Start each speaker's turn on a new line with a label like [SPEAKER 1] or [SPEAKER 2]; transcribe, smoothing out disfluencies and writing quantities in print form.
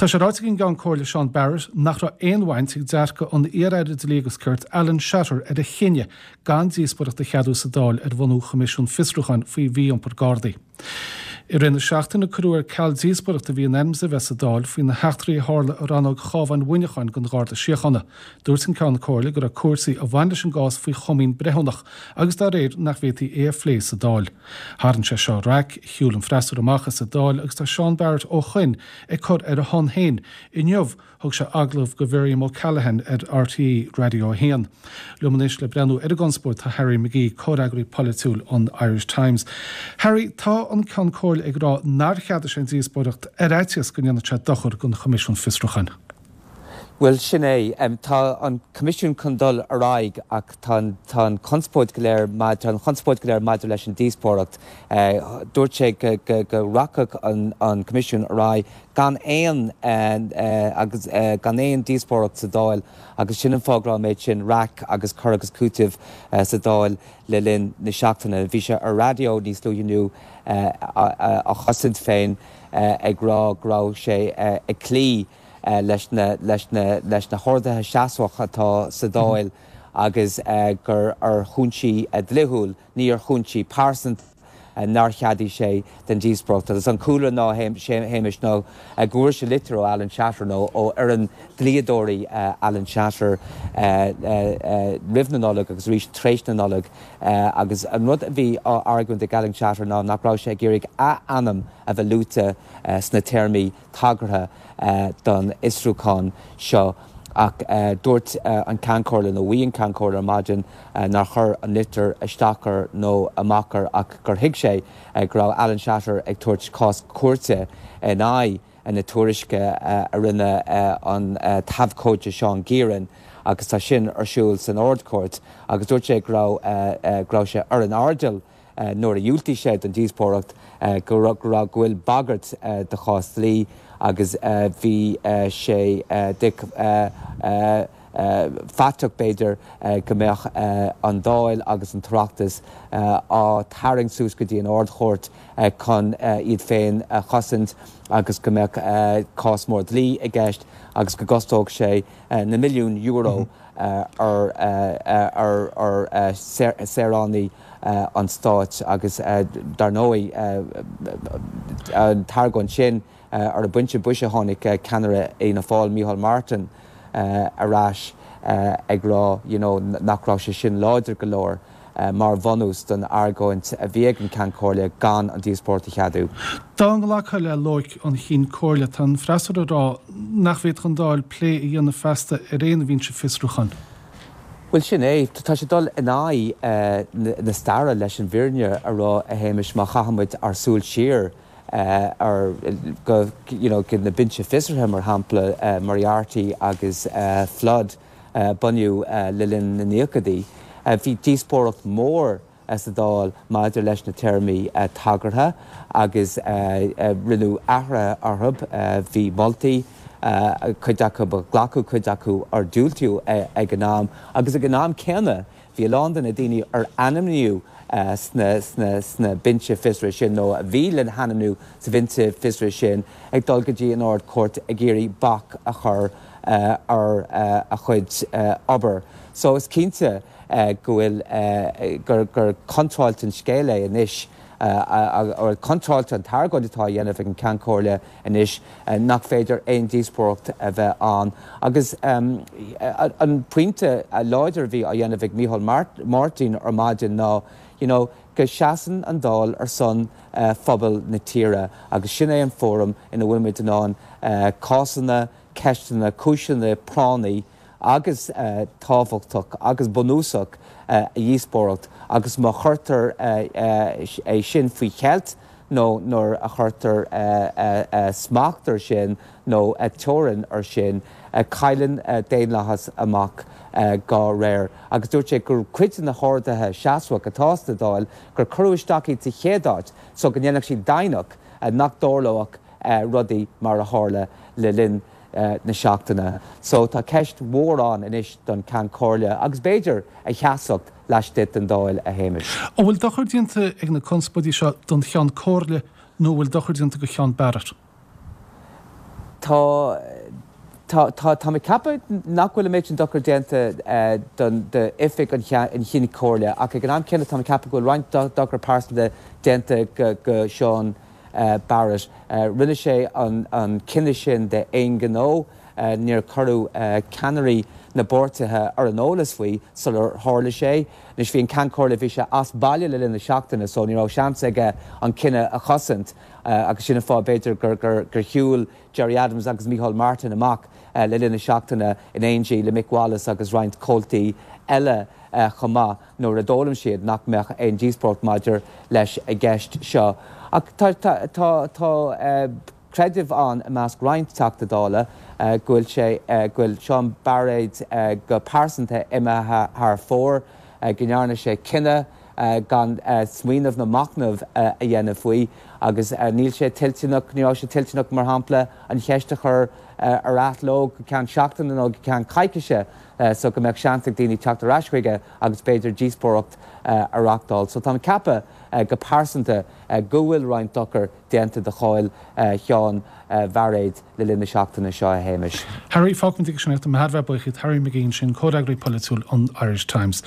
[SPEAKER 1] Tá sé ráite ag an gCeann Comhairle Seán Barrett nach raibh aon bhaint ag dearcadh an iar-aire Dlí agus Cirt Alan Shatter ar a chinneadh gan díospóireacht a cheadú sa Dáil ar bhunú Choimisiún Fiosrúcháin faoi mhí-iompar Gardaí. I rith na seachtaine cuireadh ar ceal díospóireacht a bhí in ainm is a bheith sa Dáil faoi na heachtraí a tharla i rannóg Chabhán Mhuineacháin den Gharda Síochána. Dúirt an Ceann Comhairle go raibh cúrsaí a bhain leis an gcás faoi chomaoin breithiúnach agus dá réir nach bhféadfaí é a phlé sa Dáil. Tharraing sé seo raic, shiúil an freasúra amach as an Dáil agus tá Seán Barrett ó shoin ag cur ar a shon féin inniu Thug sé agallamh do Mhiriam O'Callaghan ar RTÉ Raidió 1. Liom anois le breathnú ar an gconspóid tá Harry McGee, comhfhreagraí polaitiúil an Irish Times. Harry, tá an Ceann Comhairle ag rá nár cheadaigh sé an díospóireacht ar fhaitíos go ndéanfadh sé dochar don Choimisiún Fiosrúcháin.
[SPEAKER 2] Bhuel, sin é. Tá an Coimisiún chun dul ar aghaidh ach tá an, tá an chonspóid go léir, tá an chonspóid go léir maidir leis an díospóireacht. Dúirt sé go, go, go rachadh an, an Coimisiún ar aghaidh gan aon agus gan aon díospóireacht sa Dáil agus sin an fáth go raibh an méid sin raic agus cur agus cúiteamh sa Dáil le linn na seachtaine. Bhí sé ar raidió níos luaithe inniu á chosaint féin ag rá go raibh sé ag cloí leis na leis na leis na horduithe seasmhach atá sa Dáil agus gur ar chúinsí dlíthiúil, ní ar chúinsí pearsanta. nár cheadaigh sé den díospóireacht. Agus an cúlra ná, a Shéamais, ná go bhfuair sé litir ó Alan Shatter, nó ó fhoireann dlíodóirí Alan Shatter roimh na Nollag agus arís tar éis na Nollag agus an rud a bhí á argóint ag Alan Shatter ná nach raibh sé ag iarraidh a ainm a bheith luaite sna téarmaí tagartha don fhiosrúchán seo ach dúirt an Ceann Comhairle, nó mhaígh an Ceann Comhairle ar maidin nár chuir an litir isteach air nó amach air ach gur thuig sé go raibh Alan Shatter ag tabhairt cás cúirte in aghaidh na tuairisce a rinne an t-abhcóide Seán Gearon agus tá sin ar siúl san Ard-Chúirt agus dúirt sé go raibh go raibh sé ar an airdeall nuair a dhiúltaigh sé don díospóireacht go raibh go bhfuil bagairt de chás dlí agus bhí sé dic faiteach b'fhéidir go mbeadh an Dáil agus an tOireachtas á tarraingt suas go dtí an Ard-Chúirt chun iad féin a chosaint agus go mbeadh cás mór dlí i gceist agus go gcostódh sé na milliúin euro ar saoránaigh an stáit agus dar ndóigh an t-argóint sin ar an bpointe boise tháinig ceannaire Fhianna Fáil Micheál Martin ar ais ag rá you know nach raibh sé sin láidir go leor mar bhunús don argóint a bhí ag an Ceann Comhairle gan an díospóireacht a cheadú.
[SPEAKER 1] Dá nglacfá le loighic an Chinn Comhairle, tá an freasúra ag rá nach bhféadfadh an Dáil plé a dhéanamh feasta ar aon bhinse fiosrúcháin.
[SPEAKER 2] Bhuel, sin é. Tá sé ag dul in aghaidh na staire leis an bhfírinne a rá, a Shéamais, má chaitheann muid ár súil siar ar go you know go na binse fiosraithe, mar shampla, Moriarty agus Flood a bunaíodh le linn na naochadaí. Bhí díospóireacht mhór sa Dáil maidir leis na téarmaí tagartha agus rinneadh athruithe orthu. Bhí moltaí, cuid acu a glacadh, cuid acu ar diúltaíodh ag an am agus ag an am céanna bhí a lán de na daoine ar ainmníodh sna binse fiosraithe sin nó a bhí le hainmniú sa bhinse fiosraithe sin ag dul go dtí an Ard-Chúirt ag iarraidh bac a chur ar a chuid obair. So is cinnte go bhfuil, gur, gur contráilte an scéal é anois, or contráilte an t-argóint atá á dhéanamh ag an Ceann Comhairle anois nach féidir aon díospóireacht a bheith ann. Agus an pointe láidir a bhí á dhéanamh ag Micheál Martin ar maidin ná, you know, go seasann an Dáil ar son phobal na tíre agus sin é an fóram ina bhfuil muid in ann cásanna, ceisteanna, cúiseanna práinní agus tábhachtach agus bunúsach a dhíospóireacht agus má chuirtear é sin faoi cheilt nó nuair a chuirtear smacht ar sin nó teorainn ar sin, cailleann daonlathas amach dá réir. Agus dúirt sé gur cuid de na horduithe seasmhach atá sa Dáil gur cuireadh isteach iad sa chéad áit so go ndéanfadh siad deimhneach nach dtarlódh rudaí mar a tharla le linn na seachtaine. So tá ceist mhór ann anois don Ceann Comhairle agus b'fhéidir a sheasmhacht laistigh den Dáil, a Shéamais.
[SPEAKER 1] An bhfuil dochar déanta ag na conspóidí seo don Cheann Comhairle nó an bhfuil dochar déanta do Sheán Barrett?
[SPEAKER 2] Tá, tá, tá, táim ag ceapadh nach bhfuil an méid sin dochar déanta don, d'oifig an Chinn Chomhairle ach ag an am céanna táim ag ceapadh go bhfuil roinnt dochar pearsanta déanta go, go Seán Barrett. Rinne sé an, an cinneadh sin d'aon ghnó. Níor cuireadh ceannairí na bpáirtithe ar an eolas faoi sular tharla sé. Anois bhí an Ceann Comhairle, bhí sé as baile le linn na seachtaine so ní raibh seans aige an cinneadh a chosaint agus sin an fáth b'fhéidir gur shiúil Gerry Adams agus Micheál Martin amach le linn na seachtaine in éindí le Mick Wallace agus roinnt comhaltaí eile chomh maith nuair a d'fhoghlaim siad nach mbeadh aon díospóireacht maidir leis an gceist seo. Ach tá tá tá creideamh ann i measc roinnt Teachta Dála go bhfuil sé, go bhfuil Seán Bairéad go pearsanta imithe thar fóir, go ndearna sé cinneadh gan smaoineamh nó machnamh a dhéanamh faoi agus níl sé toilteanach, ní raibh sé toilteanach, mar shampla, an cheist a chur ar athló go ceann seachtaine nó go ceann coicíse so go mbeadh seans ag daoine teacht ar ais chuige agus b'fhéidir díospóireacht a reachtáil. So táim ag ceapadh go pearsanta go bhfuil roinnt dochair déanta do cháil Sheáin Bhairéad le linn na seachtaine seo, a Shéamais.
[SPEAKER 1] Harry, fágfaimid aige sin é. Tá mé thar a bheith buíoch díot. Harry McGee ansin, comhfhreagraí polaitiúil an Irish Times.